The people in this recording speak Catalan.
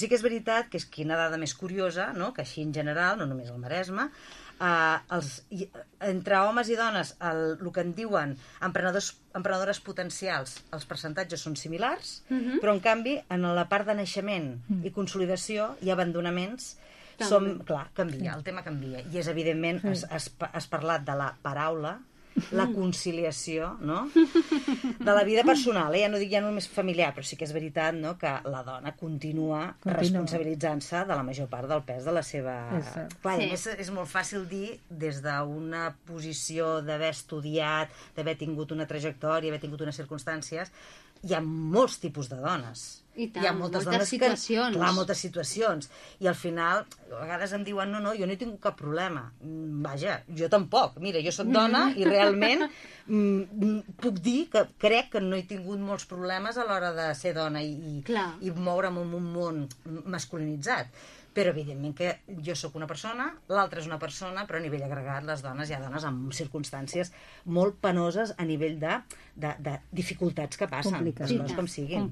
Sí que és veritat que és quina dada més curiosa, no? Que així en general, no només al Maresme, entre homes i dones el que en diuen emprenedores potencials, els percentatges són similars, però en canvi en la part de naixement i consolidació i abandonaments canvia, el tema canvia. I és evidentment, has parlat de la paraula, la conciliació, no? De la vida personal, ja no dic ja només familiar, però sí que és veritat, no?, que la dona continua responsabilitzant-se de la major part del pes de la seva... Clar, a més és molt fàcil dir des d'una posició d'haver estudiat, d'haver tingut una trajectòria, haver tingut unes circumstàncies. Hi ha molts tipus de dones. I tant, hi ha moltes situacions. Clar, moltes situacions. I al final, a vegades em diuen, no, jo no he tingut cap problema. Vaja, jo tampoc. Mira, jo sóc dona i realment puc dir que crec que no he tingut molts problemes a l'hora de ser dona i moure'm en un món masculinitzat. Però evidentment que jo sóc una persona, l'altra és una persona, però a nivell agregat les dones, hi ha dones amb circumstàncies molt penoses a nivell de dificultats que passen, les coses com siguin.